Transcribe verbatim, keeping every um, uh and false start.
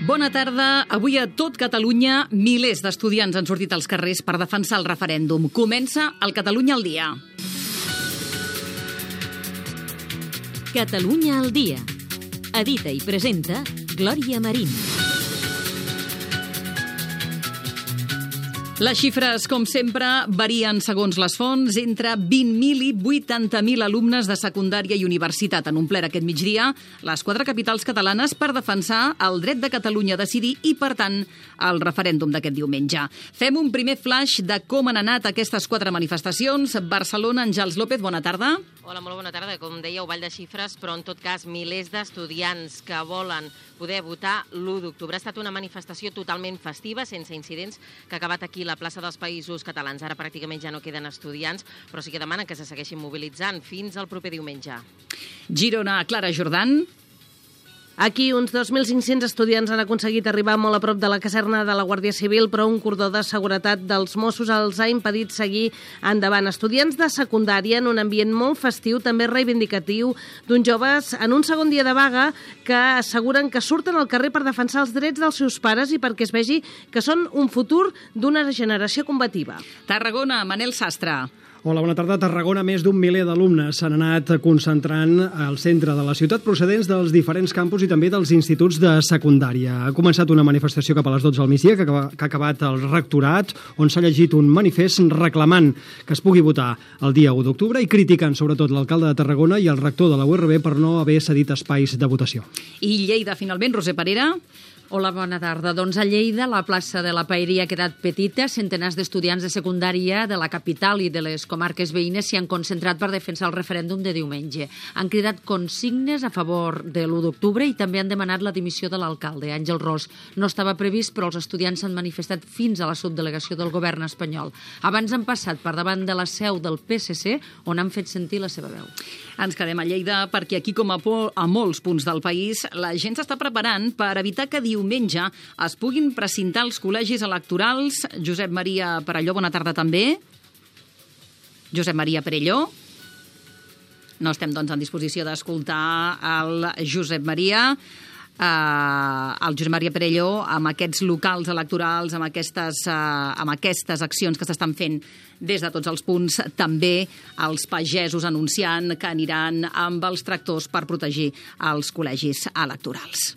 Bona tarda. Avui a tot Catalunya milers d'estudiants han sortit als carrers per defensar el referèndum. Comença el Catalunya al dia. Catalunya al dia. Edita i presenta Glòria Marín. Les xifres, com sempre, varien segons les fonts. Entre vint mil i vuitanta mil alumnes de secundària i universitat han omplert aquest migdia les quatre capitals catalanes per defensar el dret de Catalunya a decidir i, per tant, el referèndum d'aquest diumenge. Fem un primer flash de com han anat aquestes quatre manifestacions. Barcelona, Àngels López, bona tarda. Hola, molt bona tarda. Com dèieu, ball de xifres, però en tot cas milers d'estudiants que volen poder votar l'u d'octubre. Ha estat una manifestació totalment festiva, sense incidents, que ha acabat aquí a la plaça dels Països Catalans. Ara pràcticament ja no queden estudiants, però sí que demanen que se segueixin mobilitzant fins al proper diumenge. Girona, Clara Jordan. Aquí uns dos mil cinc-cents estudiants han aconseguit arribar molt a prop de la caserna de la Guàrdia Civil, però un cordó de seguretat dels Mossos els ha impedit seguir endavant. Estudiants de secundària en un ambient molt festiu, també reivindicatiu, d'uns joves en un segon dia de vaga que asseguren que surten al carrer per defensar els drets dels seus pares i perquè es vegi que són un futur d'una generació combativa. Tarragona, Manel Sastre. Hola, bona tarda. A Tarragona, més d'un miler d'alumnes s'han anat concentrant al centre de la ciutat procedents dels diferents campus i també dels instituts de secundària. Ha començat una manifestació cap a les dotze del migdia que ha acabat al rectorat, on s'ha llegit un manifest reclamant que es pugui votar el dia u d'octubre i criticant sobretot l'alcalde de Tarragona i el rector de la U R B per no haver cedit espais de votació. I Lleida, finalment, Roser Parera. Hola, bona tarda. Doncs a Lleida, la plaça de la Paeria ha quedat petita. Centenars d'estudiants de secundària de la capital i de les comarques veïnes s'hi han concentrat per defensar el referèndum de diumenge. Han cridat consignes a favor de l'u d'octubre i també han demanat la dimissió de l'alcalde, Àngel Ros. No estava previst, però els estudiants s'han manifestat fins a la subdelegació del govern espanyol. Abans han passat per davant de la seu del P S C, on han fet sentir la seva veu. Ens quedem a Lleida perquè aquí, com a, a molts punts del país, la gent s'està preparant per evitar que diumenge es puguin precintar els col·legis electorals. Josep Maria Perelló, bona tarda també. Josep Maria Perelló. No estem, doncs, en disposició d'escoltar el Josep Maria. Uh, el Josep Maria Perelló amb aquests locals electorals, amb aquestes, uh, amb aquestes accions que s'estan fent des de tots els punts, també els pagesos anunciant que aniran amb els tractors per protegir els col·legis electorals.